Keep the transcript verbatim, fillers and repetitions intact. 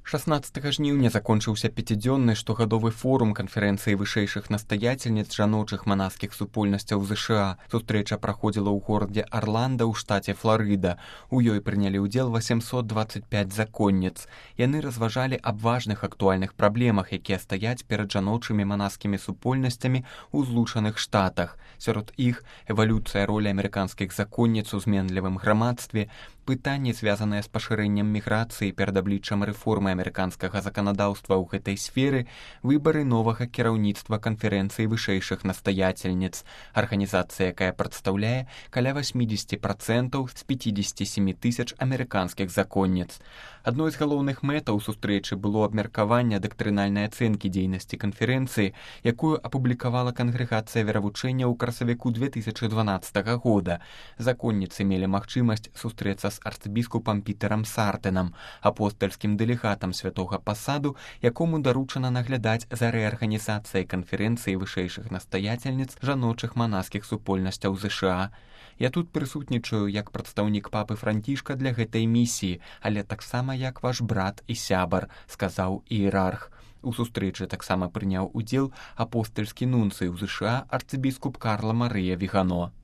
шаснаццатага жніўня закончыўся пяцідзённы штогадовы форум канферэнцыі вышэйшых настаяцельніц жаночых манаскіх супольнасцяў ЗША. Сустрэча праходзіла ў горадзе Арланда ў штаце Фларыда. У ёй прынялі ўдзел восемьсот двадцать пять законніц. Яны разважалі аб важных актуальных праблемах, якія стаяць перад жаночымі манаскімі супольнасцямі ў злучаных штатах. Сярод іх эвалюцыя ролі амерыканскіх законніц у зменлівым грамадстве, пытанні, звязаныя з пашырэннем міграцыі перад абліччам рэформы амерыканскага заканадаўства ў гэтай сферы, выбары новага кіраўніцтва канферэнцыі вышэйшых настаяцельніц. Арганізацыя, якая прадстаўляе каля восемьдесят процентаў з пятьдесят семь тысяч амерыканскіх законніц. Адной з галоўных мэтаў сустрэчы было абмеркаванне дактрынальнай ацэнкі дзейнасці канферэнцыі, якую апублікавала кангрэгацыя веравучэння ў красавіку две тысячи дванаццатага года. Законніцы мелі магчымасць сустрэцца з арцыбіскупам Пітерам Сартэнам, апостальскім дэлегатам святога пасаду, якому даручана наглядаць за рэарганізацыяй канферэнцыі вышэйшых настаяцельніц жаночых манаскіх супольнасцяў ЗША. Я тут прысутнічаю як прадстаўнік папы Францішка для гэтай місіі, але таксама як ваш брат і сябар, сказаў іерарх. У сустрэчы таксама прыняў удзел апостальскі нунцый у ЗША арцыбіскуп Карла Марыя Вігано.